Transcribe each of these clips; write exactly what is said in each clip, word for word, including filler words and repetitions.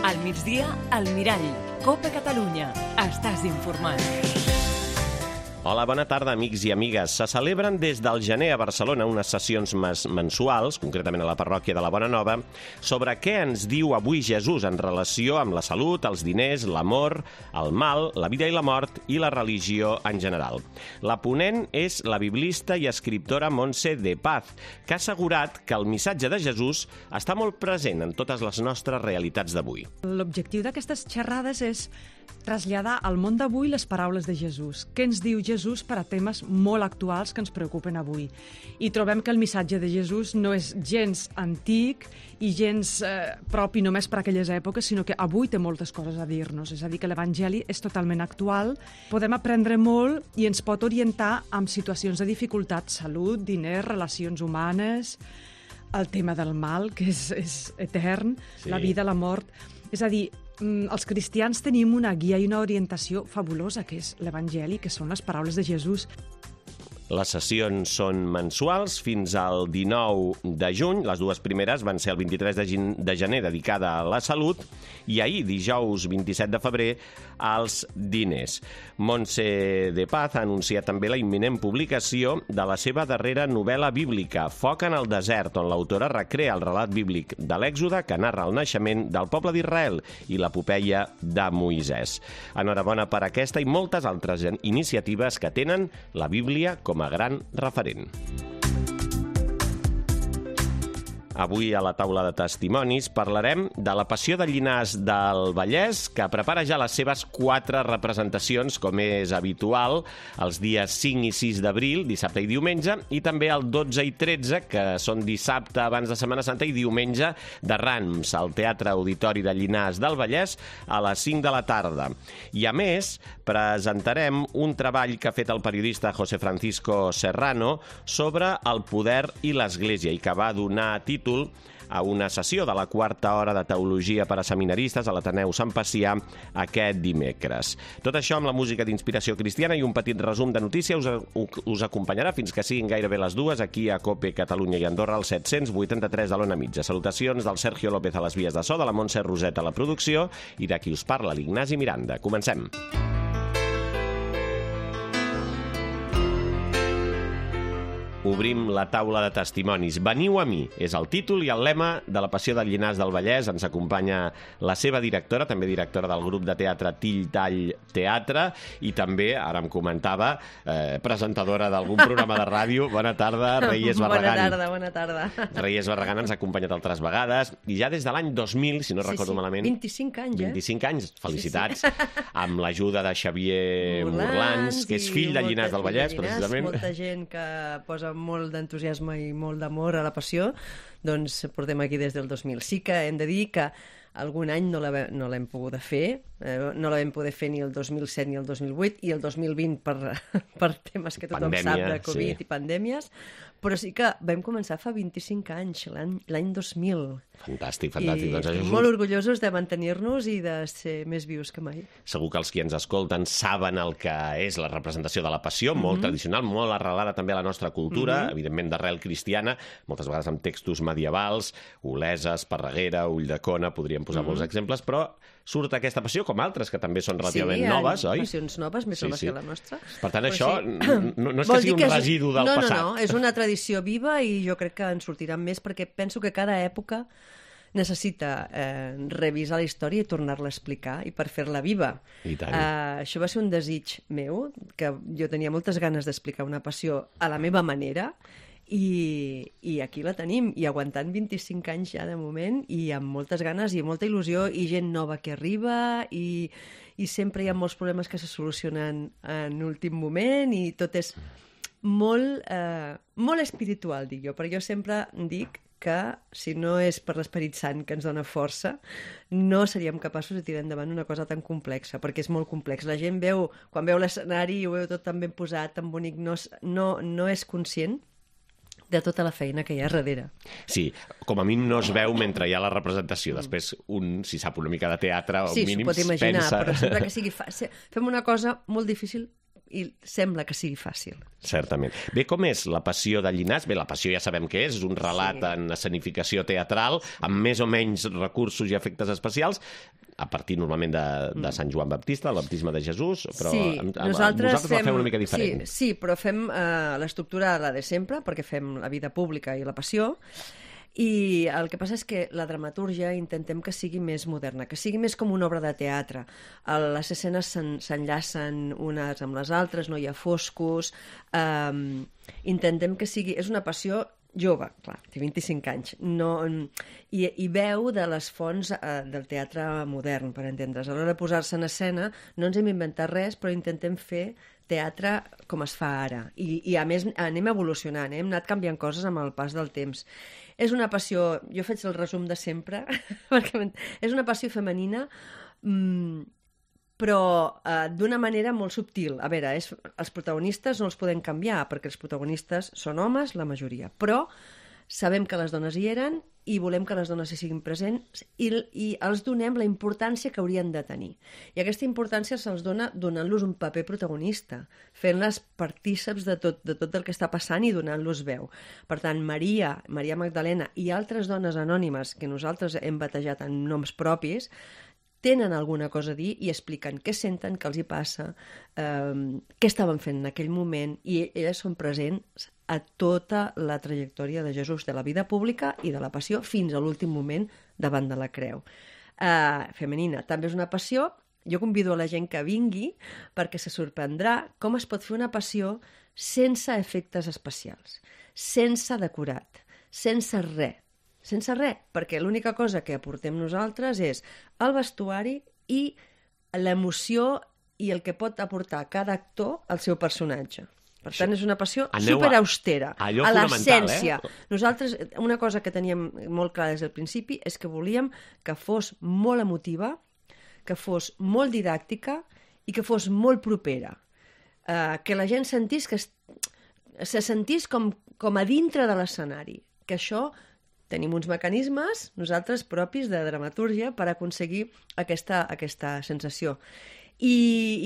Al migdia, al Mirall. Copa Catalunya. Estàs informat. Hola, bona tarda, amics i amigues. Se celebren des del gener a Barcelona unes sessions mensuals, concretament a la parròquia de la Bona Nova, sobre què ens diu avui Jesús en relació amb la salut, els diners, l'amor, el mal, la vida i la mort i la religió en general. La ponent és la biblista i escriptora Montse de Paz, que ha assegurat que el missatge de Jesús està molt present en totes les nostres realitats d'avui. L'objectiu d'aquestes xerrades és traslladar al món d'avui les paraules de Jesús. Què ens diu Jesús per a temes molt actuals que ens preocupen avui? I trobem que el missatge de Jesús no és gens antic i gens eh, propi només per a aquelles èpoques, sinó que avui té moltes coses a dir-nos. És a dir, que l'Evangeli és totalment actual, podem aprendre molt i ens pot orientar en situacions de dificultat, salut, diners, relacions humanes, el tema del mal, que és, és etern, sí. La vida, la mort. És a dir, els cristians tenim una guia i una orientació fabulosa, que és l'Evangeli, que són les paraules de Jesús. Les sessions són mensuals fins al dinou de juny. Les dues primeres van ser el vint-i-tres de gener, dedicada a la salut, i ahir, dijous vint-i-set de febrer, als diners. Montse de Paz ha anunciat també la imminent publicació de la seva darrera novel·la bíblica, Foc en el desert, on l'autora recrea el relat bíblic de l'Èxode que narra el naixement del poble d'Israel i l'epopeia de Moisès. Enhorabona per aquesta i moltes altres iniciatives que tenen la Bíblia com a gran referent. Avui a la taula de testimonis parlarem de la Passió de Llinars del Vallès, que prepara ja les seves quatre representacions, com és habitual, els dies cinc i sis d'abril, dissabte i diumenge, i també el dotze i tretze, que són dissabte abans de Setmana Santa i diumenge de Rams, al Teatre Auditori de Llinars del Vallès, a les cinc de la tarda. I a més, presentarem un treball que ha fet el periodista José Francisco Serrano sobre el poder i l'Església i que va donar títol a una sessió de la quarta hora de teologia per a seminaristes a l'Ateneu Sant Pacià aquest dimecres. Tot això amb la música d'inspiració cristiana i un petit resum de notícies us, us acompanyarà fins que siguin gairebé les dues aquí a Cope Catalunya i Andorra al set-cents vuitanta-tres de l'Ona Mitja. Salutacions del Sergio López a les vies de so, de la Montse Roset a la producció i de qui us parla, l'Ignasi Miranda. Comencem. Obrim la taula de testimonis. Veniu a mi, és el títol i el lema de la Passió de Llinars del Vallès. Ens acompanya la seva directora, també directora del grup de teatre Till Tall Teatre, i també, ara em comentava, eh, presentadora d'algun programa de ràdio. Bona tarda, Reyes Barragán. Bona tarda, bona tarda. Reyes Barragán ens ha acompanyat altres vegades, i ja des de l'any dos mil, si no sí, recordo sí. malament... vint-i-cinc anys, eh? vint-i-cinc anys, felicitats. Sí, sí. Amb l'ajuda de Xavier Morlans, Morlans, que és fill de Llinars del Vallès, Llinars, precisament. Molta gent que posa molt d'entusiasme i molt d'amor a la passió, doncs portem aquí des del dos mil. Sí que hem de dir que algun any no l'hem no l'hem pogut fer, eh, no la vam poder fer ni el dos mil set ni el dos mil vuit, i el dos mil vint per, per temes que tothom Pandèmia, sap de Covid sí. i pandèmies, però sí que vam començar fa vint-i-cinc anys, l'any dos mil. Fantàstic, fantàstic. I doncs això és molt un... orgullosos de mantenir-nos i de ser més vius que mai. Segur que els qui ens escolten saben el que és la representació de la Passió, molt mm-hmm. tradicional, molt arrelada també a la nostra cultura, mm-hmm. evidentment d'arrel cristiana, moltes vegades amb textos medievals, Olesa, Esparreguera, Ulldecona, podríem posar mm-hmm. molts exemples, però surt aquesta passió, com altres, que també són relativament sí, noves, oi? Sí, passions noves, més sí, noves sí. que la nostra. Per tant, però això sí. no, no és que sigui un residu del no, passat. No, no, és una tradició viva i jo crec que en sortiran més, perquè penso que cada època necessita eh, revisar la història i tornar-la a explicar, i per fer-la viva. I tant. Eh, això va ser un desig meu, que jo tenia moltes ganes d'explicar una passió a la meva manera, i, i aquí la tenim, i aguantant vint-i-cinc anys ja de moment, i amb moltes ganes i molta il·lusió, i gent nova que arriba, i, i sempre hi ha molts problemes que se solucionen en últim moment, i tot és molt, eh, molt espiritual, dic jo, perquè jo sempre dic que si no és per l'Esperit Sant que ens dona força, no seríem capaços de tirar endavant una cosa tan complexa, perquè és molt complex. La gent veu, quan veu l'escenari i ho veu tot tan ben posat, tan bonic, no, no, no és conscient de tota la feina que hi ha darrere. Sí, com a mínim no es veu mentre hi ha la representació. Després, un, si sap una mica de teatre, o sí, mínim s'ho pot imaginar, pensa... però sempre que sigui fàcil. Fem una cosa molt difícil i sembla que sigui fàcil. Certament. Bé, com és la Passió de Llinars? Bé, la Passió ja sabem què és, és un relat sí. en escenificació teatral, amb més o menys recursos i efectes especials, a partir normalment de, de Sant Joan Baptista, el baptisme de Jesús, però sí, amb, amb, nosaltres, vosaltres fem, la feu una mica diferent. Sí, sí però fem eh, l'estructura la de sempre, perquè fem la vida pública i la passió, i el que passa és que la dramatúrgia intentem que sigui més moderna, que sigui més com una obra de teatre. Les escenes s'enllacen unes amb les altres, no hi ha foscos, eh, intentem que sigui... És una passió jove, clar, té vint-i-cinc anys, no, i, i veu de les fonts eh, del teatre modern, per entendre's. A l'hora de posar-se en escena no ens hem inventat res, però intentem fer teatre com es fa ara. I, i a més anem evolucionant, eh? Hem anat canviant coses amb el pas del temps. És una passió, jo faig el resum de sempre, perquè és una passió femenina, mmm, però eh, d'una manera molt subtil. A veure, és, els protagonistes no els podem canviar, perquè els protagonistes són homes, la majoria, però sabem que les dones hi eren i volem que les dones hi siguin presents i, i els donem la importància que haurien de tenir. I aquesta importància se'ls dona donant-los un paper protagonista, fent-les partíceps de tot, de tot el que està passant i donant-los veu. Per tant, Maria, Maria Magdalena i altres dones anònimes que nosaltres hem batejat en noms propis, tenen alguna cosa a dir i expliquen què senten, què els hi passa, eh, què estaven fent en aquell moment, i elles són presents a tota la trajectòria de Jesús, de la vida pública i de la passió, fins a l'últim moment davant de la creu. Eh, femenina, també és una passió. Jo convido a la gent que vingui perquè se sorprendrà com es pot fer una passió sense efectes especials, sense decorat, sense res. Sense res, perquè l'única cosa que aportem nosaltres és el vestuari i l'emoció i el que pot aportar cada actor al seu personatge. Per tant, és una passió superaustera, a, a l'essència. Eh? Nosaltres, una cosa que teníem molt clara des del principi és que volíem que fos molt emotiva, que fos molt didàctica i que fos molt propera. Uh, que la gent sentís que es, se sentís com, com a dintre de l'escenari. Que això... Tenim uns mecanismes, nosaltres, propis de dramatúrgia per aconseguir aquesta, aquesta sensació. I,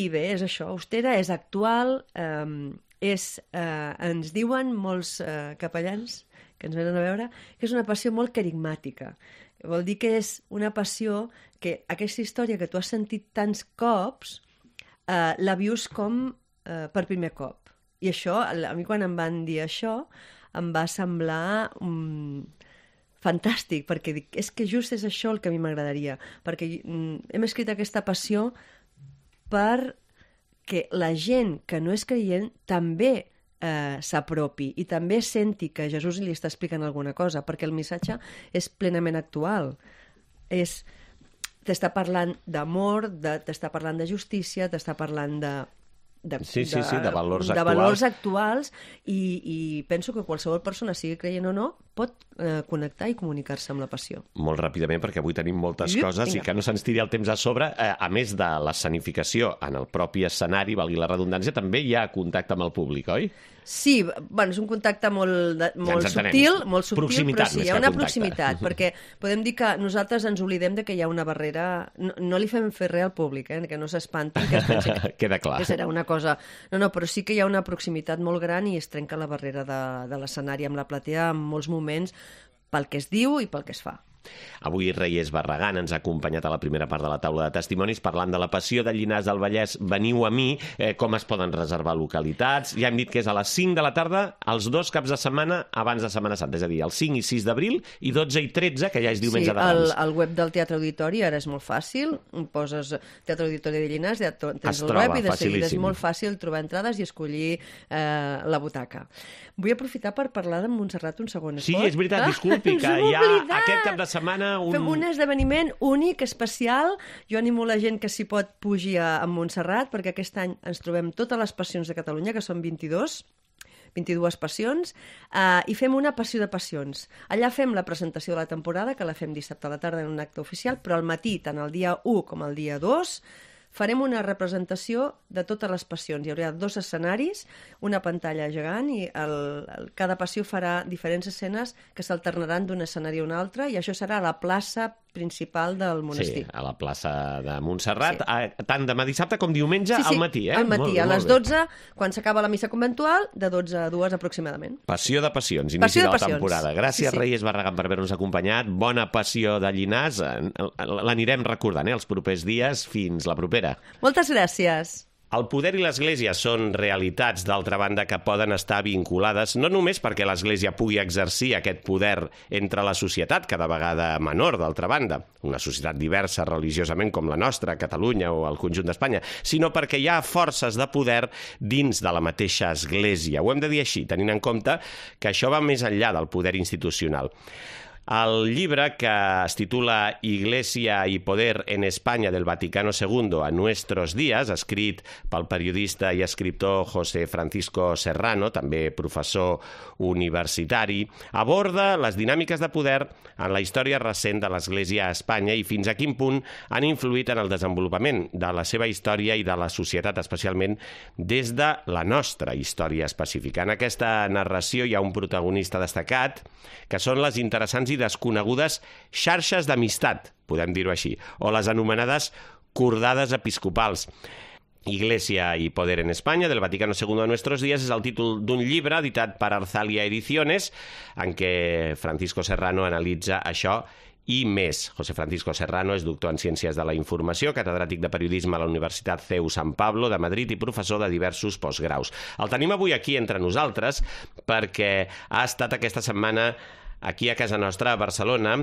I bé, és això, austera, és actual, eh, és, eh, ens diuen molts eh, capellans que ens venen a veure que és una passió molt carismàtica. Vol dir que és una passió que aquesta història que tu has sentit tants cops eh, la vius com eh, per primer cop. I això, a mi quan em van dir això, em va semblar... Um, fantàstic, perquè dic, és que just és això el que a mi m'agradaria, perquè mm, hem escrit aquesta passió perquè la gent que no és creient també eh, s'apropi i també senti que Jesús li està explicant alguna cosa, perquè el missatge és plenament actual. És, t'està parlant d'amor, de, t'està parlant de justícia, t'està parlant de... De, sí, sí, sí, de valors de actuals, valors actuals i, i penso que qualsevol persona, sigui creient o no, pot eh, connectar i comunicar-se amb la passió. Molt ràpidament, perquè avui tenim moltes I, coses vinga. I que no se'ns tiri el temps a sobre. Eh, a més de l'escenificació en el propi escenari, valgui la redundància, també hi ha contacte amb el públic, oi? Sí, bueno, és un contacte molt, de, molt ja subtil, molt subtil, proximitat, però sí, hi ha una proximitat, perquè podem dir que nosaltres ens oblidem de que hi ha una barrera... No, no li fem fer res al públic, eh, que no s'espantin, que es pensi que, queda clar. Que serà una cosa... No, no, però sí que hi ha una proximitat molt gran i es trenca la barrera de, de l'escenari amb la platea en molts moments pel que es diu i pel que es fa. Avui Reyes Barragán ens ha acompanyat a la primera part de la taula de testimonis parlant de la passió de Llinars del Vallès. Veniu a mi, eh, com es poden reservar localitats. Ja hem dit que és a les cinc de la tarda, els dos caps de setmana abans de Setmana Santa, és a dir, el cinc i sis d'abril i dotze i tretze, que ja és diumenge sí, de Rams. Sí, el, el web del Teatre Auditori ara és molt fàcil, poses Teatre Auditori de Llinars, ja tens es el troba, web i de seguida és facilíssim. molt fàcil trobar entrades i escollir eh, la butaca. Vull aprofitar per parlar de Montserrat un segon. Sí, és veritat, disculpi, que hi ha aquest cap de setmana un... Fem un esdeveniment únic, especial. Jo animo la gent que s'hi pot pujar a, a Montserrat, perquè aquest any ens trobem totes les passions de Catalunya, que són vint-i-dos, vint-i-dues passions, eh, i fem una passió de passions. Allà fem la presentació de la temporada, que la fem dissabte a la tarda en un acte oficial, però al matí, tant el dia u com el dia dos, farem una representació de totes les passions. Hi haurà dos escenaris, una pantalla gegant, i el, el, cada passió farà diferents escenes que s'alternaran d'un escenari a un altre, i això serà a la plaça principal del monestir. Sí, a la plaça de Montserrat, sí. a, tant demà dissabte com diumenge sí, sí, al matí, eh? al matí, molt, a molt les bé. dotze, quan s'acaba la missa conventual, de dotze a dues aproximadament. Passió de passions, inici Passió de de la passions. temporada. Gràcies, Sí, sí. Reyes Barragán, per haver-nos acompanyat. Bona passió de Llinars. L'anirem recordant, eh, els propers dies. Fins la propera. Moltes gràcies. El poder i l'Església són realitats, d'altra banda, que poden estar vinculades no només perquè l'Església pugui exercir aquest poder entre la societat, cada vegada menor, d'altra banda, una societat diversa religiosament com la nostra, Catalunya o el conjunt d'Espanya, sinó perquè hi ha forces de poder dins de la mateixa Església. Ho hem de dir així, tenint en compte que això va més enllà del poder institucional. El llibre, que es titula Iglesia y Poder en España del Vaticano segundo a nuestros días, escrit pel periodista i escriptor José Francisco Serrano, també professor universitari, aborda les dinàmiques de poder en la història recent de l'Església a Espanya i fins a quin punt han influït en el desenvolupament de la seva història i de la societat, especialment des de la nostra història específica. En aquesta narració hi ha un protagonista destacat, que són les interessants i desconegudes xarxes d'amistat, podem dir-ho així, o les anomenades cordades episcopals. Iglesia y Poder en España, del Vaticano segundo a nuestros días, és el títol d'un llibre editat per Arzalia Ediciones, en què Francisco Serrano analitza això i més. José Francisco Serrano és doctor en Ciències de la Informació, catedràtic de Periodisme a la Universitat C E U San Pablo de Madrid i professor de diversos postgraus. El tenim avui aquí entre nosaltres perquè ha estat aquesta setmana aquí a casa nostra, a Barcelona,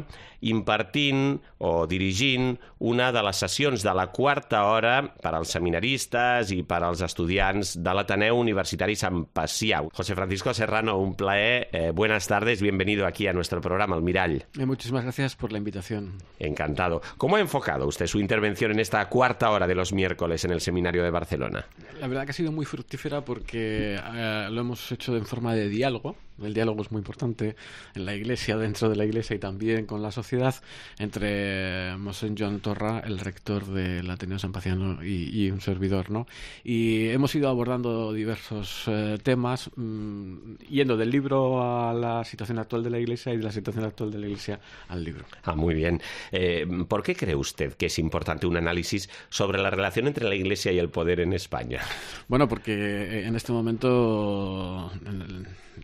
impartint o dirigint una de les sessions de la quarta hora per als seminaristes i per als estudiants de l'Ateneu Universitari Sant Pacià. José Francisco Serrano, un plaer. Eh, buenas tardes, bienvenido aquí a nuestro programa, El Mirall. Eh, muchísimas gracias por la invitación. Encantado. ¿Cómo ha enfocado usted su intervención en esta cuarta hora de los miércoles en el Seminario de Barcelona? La verdad que ha sido muy fructífera porque eh, lo hemos hecho en forma de diálogo. El diálogo es muy importante en la Iglesia, dentro de la Iglesia y también con la sociedad, entre Monseñor Joan Torra, el rector del Ateneo San Paciano, y, y un servidor, ¿no? Y hemos ido abordando diversos eh, temas, mmm, yendo del libro a la situación actual de la Iglesia y de la situación actual de la Iglesia al libro. Ah, muy bien. Eh, ¿Por qué cree usted que es importante un análisis sobre la relación entre la Iglesia y el poder en España? Bueno, porque en este momento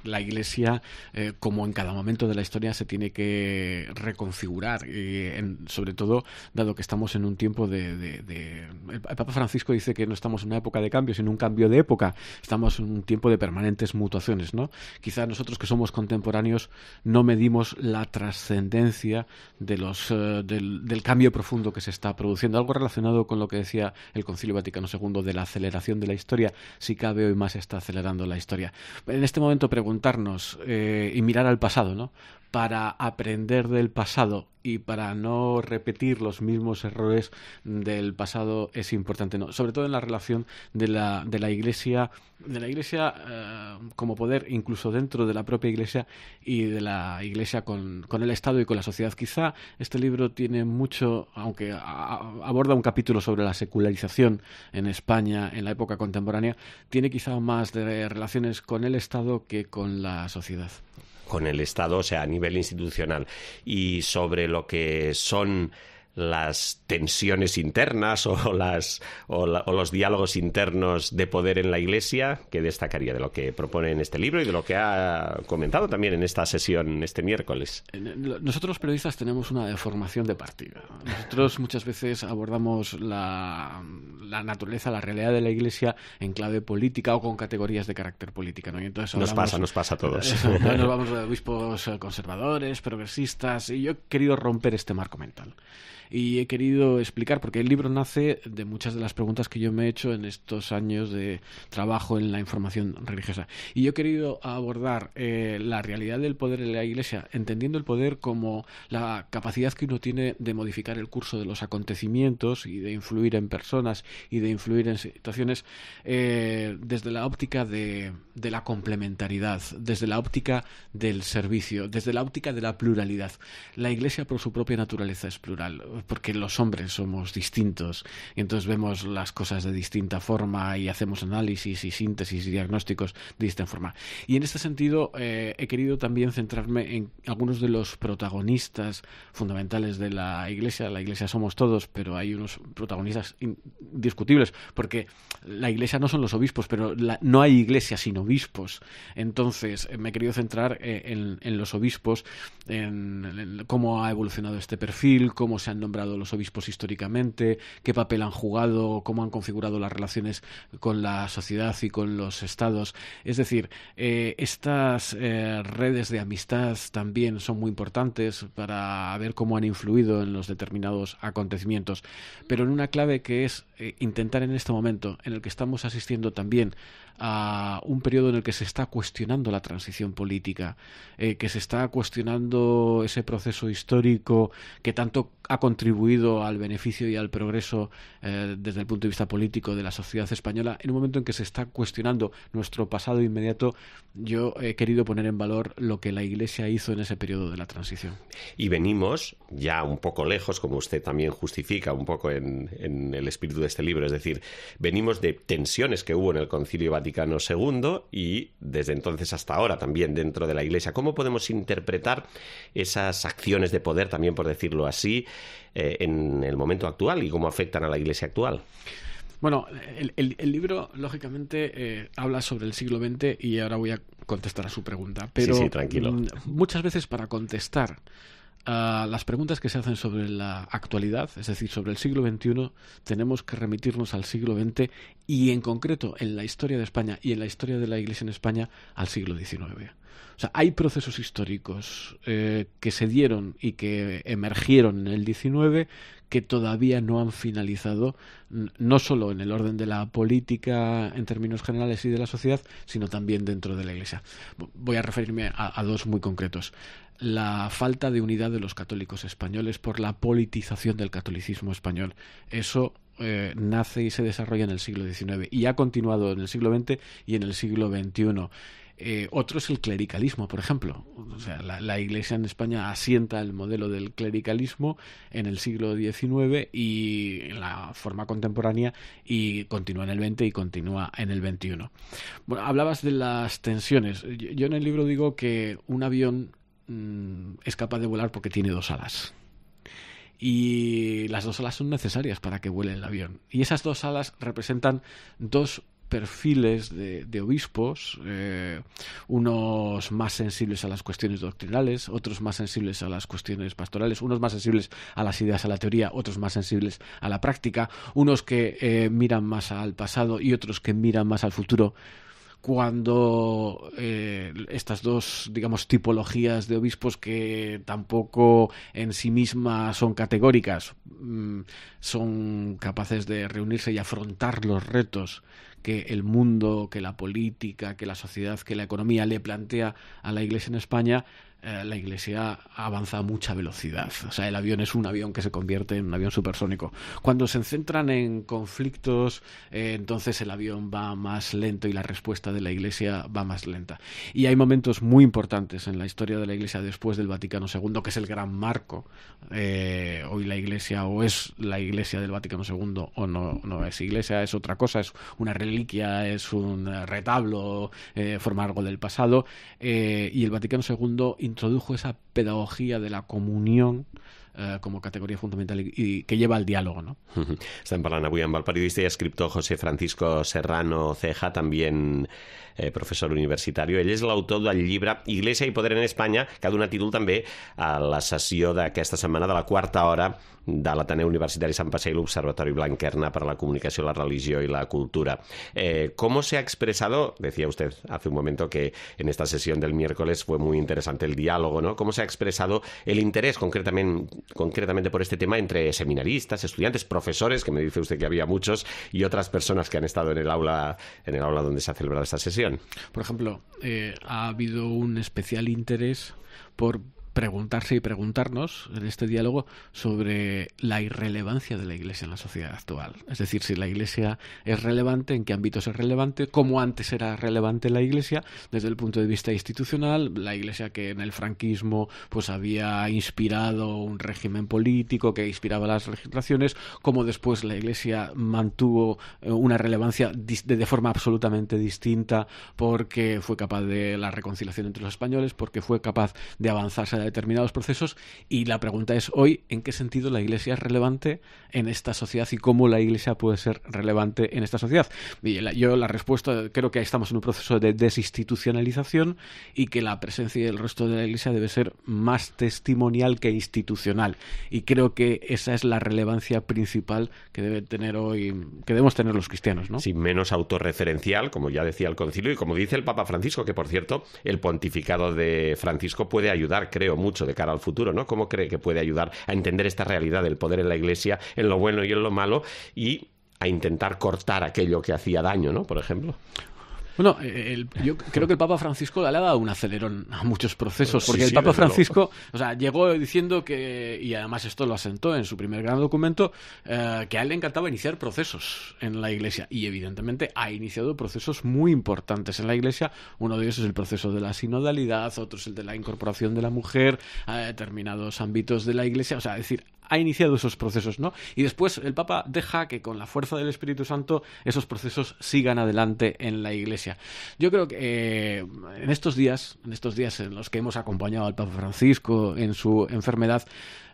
la Iglesia, eh, como en cada momento de la historia, se tiene que reconfigurar, y en, sobre todo dado que estamos en un tiempo de, de, de... El Papa Francisco dice que no estamos en una época de cambio, sino un cambio de época. Estamos en un tiempo de permanentes mutuaciones, ¿no? Quizás nosotros que somos contemporáneos no medimos la trascendencia de los, uh, del, del cambio profundo que se está produciendo. Algo relacionado con lo que decía el Concilio Vaticano segundo de la aceleración de la historia. Si cabe, hoy más está acelerando la historia. En este momento preguntarnos eh, y mirar al pasado, ¿no? Para aprender del pasado y para no repetir los mismos errores del pasado es importante, ¿no? Sobre todo en la relación de la, de la Iglesia, de la Iglesia eh, como poder, incluso dentro de la propia Iglesia, y de la Iglesia con, con el Estado y con la sociedad. Quizá este libro tiene mucho, aunque a, a, aborda un capítulo sobre la secularización en España en la época contemporánea, tiene quizá más de relaciones con el Estado que con la sociedad. Con el Estado, o sea, a nivel institucional, y sobre lo que son las tensiones internas o, las, o, la, o los diálogos internos de poder en la Iglesia, ¿qué destacaría de lo que propone en este libro y de lo que ha comentado también en esta sesión este miércoles? Nosotros los periodistas tenemos una deformación de partida. Nosotros muchas veces abordamos la, la naturaleza, la realidad de la Iglesia en clave política o con categorías de carácter política, ¿no? Y entonces hablamos, nos pasa, nos pasa a todos. Eso, ¿no? Nos vamos de obispos conservadores, progresistas, y yo he querido romper este marco mental. Y he querido explicar, porque el libro nace de muchas de las preguntas que yo me he hecho en estos años de trabajo en la información religiosa. Y yo he querido abordar eh, la realidad del poder en la Iglesia, entendiendo el poder como la capacidad que uno tiene de modificar el curso de los acontecimientos y de influir en personas y de influir en situaciones eh, desde la óptica de, de la complementariedad, desde la óptica del servicio, desde la óptica de la pluralidad. La Iglesia, por su propia naturaleza, es plural. porque los hombres somos distintos y entonces vemos las cosas de distinta forma y hacemos análisis y síntesis y diagnósticos de distinta forma. Y en este sentido eh, he querido también centrarme en algunos de los protagonistas fundamentales de la Iglesia. La Iglesia somos todos, pero hay unos protagonistas indiscutibles, porque la Iglesia no son los obispos, pero la, no hay Iglesia sin obispos. Entonces me he querido centrar eh, en, en los obispos, en, en cómo ha evolucionado este perfil, cómo se han nombrado los obispos históricamente, qué papel han jugado, cómo han configurado las relaciones con la sociedad y con los estados. Es decir, eh, estas eh, redes de amistad también son muy importantes para ver cómo han influido en los determinados acontecimientos, pero en una clave que es eh, intentar en este momento en el que estamos asistiendo también a un periodo en el que se está cuestionando la transición política, eh, que se está cuestionando ese proceso histórico que tanto ha contribuido al beneficio y al progreso eh, desde el punto de vista político de la sociedad española. En un momento en que se está cuestionando nuestro pasado inmediato, yo he querido poner en valor lo que la Iglesia hizo en ese periodo de la transición. Y venimos ya un poco lejos, como usted también justifica un poco en, en el espíritu de este libro, es decir, venimos de tensiones que hubo en el Concilio Vaticano segundo y desde entonces hasta ahora también dentro de la Iglesia. ¿Cómo podemos interpretar esas acciones de poder, también por decirlo así, eh, en el momento actual y cómo afectan a la Iglesia actual? Bueno, el, el, el libro, lógicamente, eh, habla sobre el siglo veinte y ahora voy a contestar a su pregunta. Pero sí, sí, tranquilo. M- muchas veces para contestar a las preguntas que se hacen sobre la actualidad, es decir, sobre el siglo veintiuno, tenemos que remitirnos al siglo veinte y, en concreto, en la historia de España y en la historia de la Iglesia en España, al siglo diecinueve. O sea, hay procesos históricos eh, que se dieron y que emergieron en el diecinueve que todavía no han finalizado, no solo en el orden de la política en términos generales y de la sociedad, sino también dentro de la Iglesia. Voy a referirme a, a dos muy concretos. La falta de unidad de los católicos españoles por la politización del catolicismo español. Eso eh, nace y se desarrolla en el siglo diecinueve y ha continuado en el siglo veinte y en el siglo veintiuno. Eh, otro es el clericalismo, por ejemplo. O sea, la, la Iglesia en España asienta el modelo del clericalismo en el siglo diecinueve y en la forma contemporánea, y continúa en el veinte y continúa en el veintiuno. Bueno, hablabas de las tensiones. Yo, yo en el libro digo que un avión mmm, es capaz de volar porque tiene dos alas. Y las dos alas son necesarias para que vuele el avión. Y esas dos alas representan dos perfiles de, de obispos, eh, unos más sensibles a las cuestiones doctrinales, otros más sensibles a las cuestiones pastorales, unos más sensibles a las ideas, a la teoría, otros más sensibles a la práctica, unos que eh, miran más al pasado y otros que miran más al futuro. Cuando eh, estas dos, digamos, tipologías de obispos, que tampoco en sí mismas son categóricas, mmm, son capaces de reunirse y afrontar los retos que el mundo, que la política, que la sociedad, que la economía le plantea a la Iglesia en España, eh, la Iglesia avanza a mucha velocidad. O sea, el avión es un avión que se convierte en un avión supersónico. Cuando se centran en conflictos, eh, entonces el avión va más lento y la respuesta de la Iglesia va más lenta. Y hay momentos muy importantes en la historia de la Iglesia después del Vaticano segundo, que es el gran marco. Eh, hoy la Iglesia o es la Iglesia del Vaticano segundo o no, no es Iglesia, es otra cosa, es una reliquia, es un retablo, eh, forma algo del pasado. Eh, y el Vaticano segundo introdujo esa pedagogía de la comunión eh, como categoria fundamental i, i que lleva al diàleg, no? Uh-huh. Estem parlant avui amb el periodista i escriptor José Francisco Serrano Ceja, també eh, professor universitari. Ell és l'autor del llibre Iglesia y Poder en España, que ha donat títol també a la sessió d'aquesta setmana de la quarta hora de l'Ateneu Universitari Sant Pacià y l'Observatorio Blanquerna para la Comunicación, la Religión y la Cultura. Eh, ¿Cómo se ha expresado? Decía usted hace un momento que en esta sesión del miércoles fue muy interesante el diálogo, ¿no? ¿Cómo se ha expresado el interés concretamente, concretamente por este tema entre seminaristas, estudiantes, profesores, que me dice usted que había muchos, y otras personas que han estado en el aula, en el aula donde se ha celebrado esta sesión? Por ejemplo, eh, ha habido un especial interés por preguntarse y preguntarnos en este diálogo sobre la irrelevancia de la Iglesia en la sociedad actual. Es decir, si la Iglesia es relevante, en qué ámbitos es relevante, cómo antes era relevante la Iglesia desde el punto de vista institucional, la Iglesia que en el franquismo pues había inspirado un régimen político que inspiraba las legislaciones, cómo después la Iglesia mantuvo una relevancia de, de forma absolutamente distinta porque fue capaz de la reconciliación entre los españoles, porque fue capaz de avanzarse a determinados procesos, y la pregunta es hoy, ¿en qué sentido la Iglesia es relevante en esta sociedad y cómo la Iglesia puede ser relevante en esta sociedad? Y la, yo la respuesta, creo que estamos en un proceso de desinstitucionalización y que la presencia del resto de la Iglesia debe ser más testimonial que institucional, y creo que esa es la relevancia principal que debe tener hoy, que debemos tener los cristianos, ¿no? Sí, menos autorreferencial, como ya decía el concilio, y como dice el Papa Francisco, que por cierto, el pontificado de Francisco puede ayudar, creo, mucho de cara al futuro, ¿no? ¿Cómo cree que puede ayudar a entender esta realidad del poder en la Iglesia, en lo bueno y en lo malo, y a intentar cortar aquello que hacía daño, ¿no? Por ejemplo. Bueno, el, yo creo que el Papa Francisco le ha dado un acelerón a muchos procesos, porque sí, el sí, Papa Francisco, o sea, llegó diciendo que, y además esto lo asentó en su primer gran documento, eh, que a él le encantaba iniciar procesos en la Iglesia, y evidentemente ha iniciado procesos muy importantes en la Iglesia. Uno de ellos es el proceso de la sinodalidad, otro es el de la incorporación de la mujer a determinados ámbitos de la Iglesia, o sea, es decir, ha iniciado esos procesos, ¿no? Y después el Papa deja que con la fuerza del Espíritu Santo esos procesos sigan adelante en la Iglesia. Yo creo que eh, en estos días, en estos días en los que hemos acompañado al Papa Francisco en su enfermedad,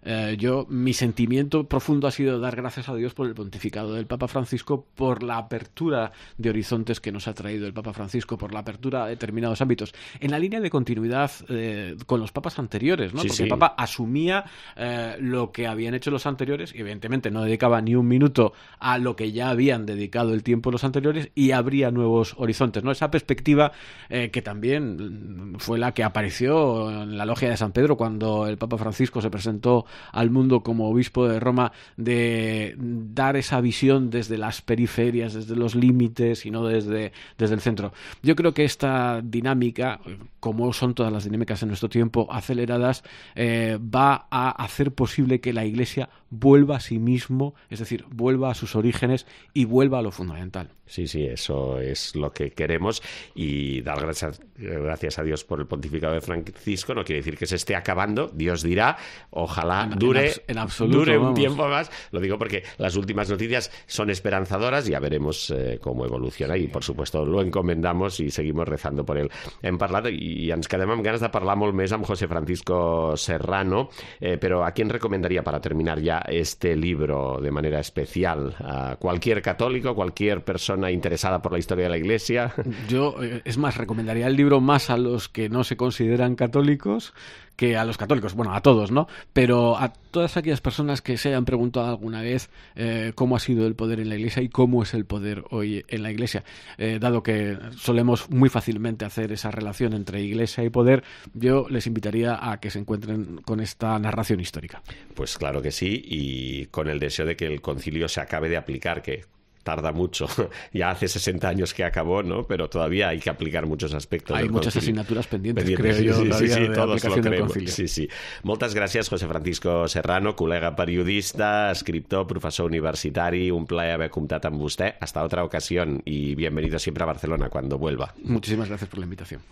Eh, yo, mi sentimiento profundo ha sido dar gracias a Dios por el pontificado del Papa Francisco, por la apertura de horizontes que nos ha traído el Papa Francisco, por la apertura a determinados ámbitos, en la línea de continuidad eh, con los papas anteriores, ¿no? Sí, Porque sí. el Papa asumía eh, lo que habían hecho los anteriores, y evidentemente no dedicaba ni un minuto a lo que ya habían dedicado el tiempo los anteriores, y abría nuevos horizontes, ¿no? Esa perspectiva eh, que también fue la que apareció en la logia de San Pedro cuando el Papa Francisco se presentó al mundo como obispo de Roma, de dar esa visión desde las periferias, desde los límites y no desde, desde el centro. Yo creo que esta dinámica, como son todas las dinámicas en nuestro tiempo aceleradas, eh, va a hacer posible que la Iglesia vuelva a sí mismo, es decir, vuelva a sus orígenes y vuelva a lo fundamental. Sí, sí, eso es lo que queremos, y dar gracias, gracias a Dios por el pontificado de Francisco no quiere decir que se esté acabando, Dios dirá, ojalá En, dure, en, abs- en absoluto, dure un vamos. tiempo más. Lo digo porque las últimas noticias son esperanzadoras, ya veremos eh, cómo evoluciona, i por supuesto lo encomendamos i seguimos rezando por ell. Hem parlat i ens quedem amb ganes de parlar molt més amb José Francisco Serrano, eh, però ¿a quién recomendaría para terminar ya este libro de manera especial? ¿A cualquier católico, cualquier persona interesada por la historia de la Iglesia? Yo, eh, es más, recomendaría el libro más a los que no se consideran católicos que a los católicos, bueno, a todos, ¿no? Pero a todas aquellas personas que se hayan preguntado alguna vez eh, cómo ha sido el poder en la Iglesia y cómo es el poder hoy en la Iglesia, eh, dado que solemos muy fácilmente hacer esa relación entre Iglesia y poder, yo les invitaría a que se encuentren con esta narración histórica. Pues claro que sí, y con el deseo de que el concilio se acabe de aplicar, que tarda mucho. Ya hace sesenta años que acabó, ¿no? Pero todavía hay que aplicar muchos aspectos Hay del muchas concilio. asignaturas pendientes, Pendientes, creo yo, sí, todavía sí, sí, de todos lo aplicación del creemos. concilio. Sí, sí. Moltes gràcies, José Francisco Serrano, col·lega periodista, escriptor, professor universitari. Un plaer haber comptat amb vostè. Hasta otra ocasión y bienvenido siempre a Barcelona cuando vuelva. Muchísimas gracias por la invitación.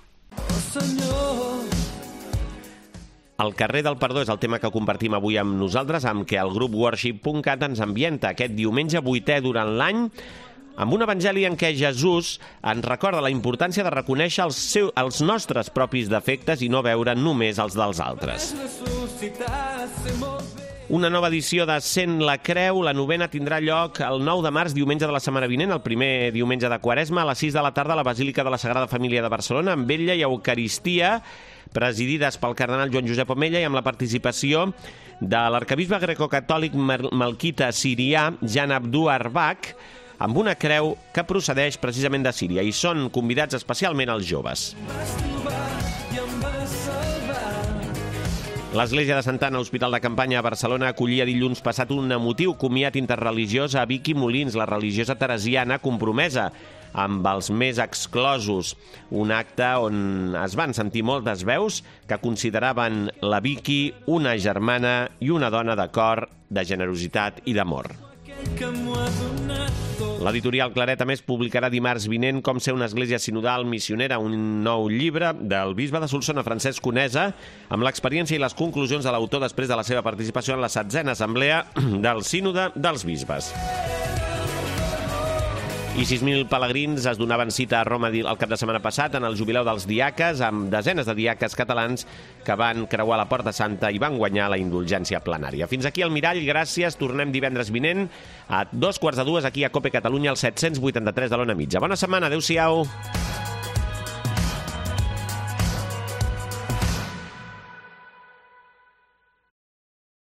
El carrer del perdó és el tema que compartim avui amb nosaltres, amb què el grup worship punt cat ens ambienta aquest diumenge vuitè durant l'any, amb un evangeli en què Jesús ens recorda la importància de reconèixer els, seu, els nostres propis defectes i no veure només els dels altres. Una nova edició de Sent la Creu, la novena, tindrà lloc el nou de març, diumenge de la setmana vinent, el primer diumenge de Quaresma, a les sis de la tarda a la Basílica de la Sagrada Família de Barcelona, amb vetlla i eucaristia, presidides pel cardenal Joan Josep Omella i amb la participació de l'arcabisbe grecocatòlic malquita sirià Jan Abdou Arbach, amb una creu que procedeix precisament de Síria, i són convidats especialment els joves. L'Església de Santa Anna, Hospital de Campanya a Barcelona, acollia dilluns passat un emotiu comiat interreligiós a Vicky Molins, la religiosa teresiana compromesa amb els més exclosos. Un acte on es van sentir moltes veus que consideraven la Vicky una germana i una dona de cor, de generositat i d'amor. L'editorial Claret, a més, publicarà dimarts vinent Com ser una església sinodal missionera, un nou llibre del bisbe de Solsona, Francesc Conesa, amb l'experiència i les conclusions de l'autor després de la seva participació en la setzena assemblea del Sínode dels Bisbes. I sis mil pelegrins es donaven cita a Roma el cap de setmana passat en el jubileu dels diaques, amb desenes de diaques catalans que van creuar la Porta Santa i van guanyar la indulgència plenària. Fins aquí el Mirall, gràcies. Tornem divendres vinent a dos quarts de dues aquí a Cope Catalunya, al set cents vuitanta-tres de l'Ona Mitja. Bona setmana, adeu-siau.